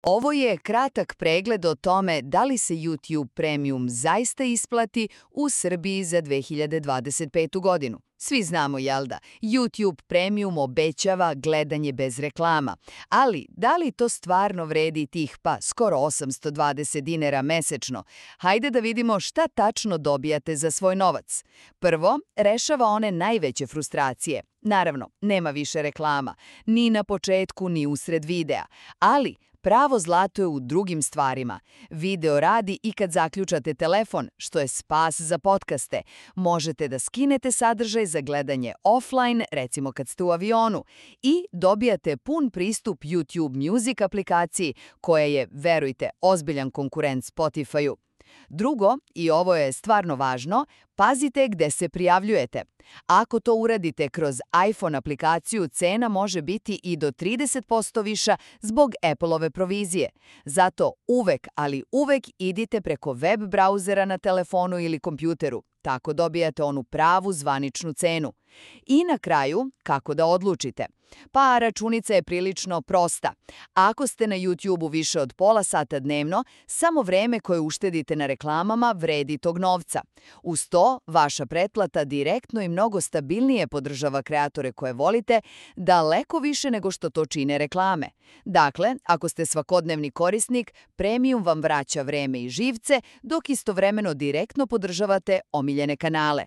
Ovo je kratak pregled o tome da li se YouTube Premium zaista isplati u Srbiji za 2025. godinu. Svi znamo, jel da, YouTube Premium obećava gledanje bez reklama, ali da li to stvarno vredi tih skoro 820 dinara mesečno? Hajde da vidimo šta tačno dobijate za svoj novac. Prvo, rešava one najveće frustracije. Naravno, nema više reklama, ni na početku, ni usred videa, ali pravo zlato je u drugim stvarima. Video radi i kad zaključate telefon, što je spas za podcaste. Možete da skinete sadržaj za gledanje offline, recimo kad ste u avionu, i dobijate pun pristup YouTube Music aplikaciji, koja je, verujte, ozbiljan konkurent Spotify-u. Drugo, i ovo je stvarno važno, pazite gde se prijavljujete. Ako to uradite kroz iPhone aplikaciju, cena može biti i do 30% viša zbog Apple-ove provizije. Zato uvek, ali uvek idite preko web brauzera na telefonu ili kompjuteru. Tako dobijate onu pravu zvaničnu cenu. I na kraju, kako da odlučite? Pa računica je prilično prosta. Ako ste na YouTube-u više od pola sata dnevno, samo vreme koje uštedite na reklamama vredi tog novca. Uz to, vaša pretplata direktno i mnogo stabilnije podržava kreatore koje volite, daleko više nego što to čine reklame. Dakle, ako ste svakodnevni korisnik, Premium vam vraća vreme i živce, dok istovremeno direktno podržavate omiljene kanale.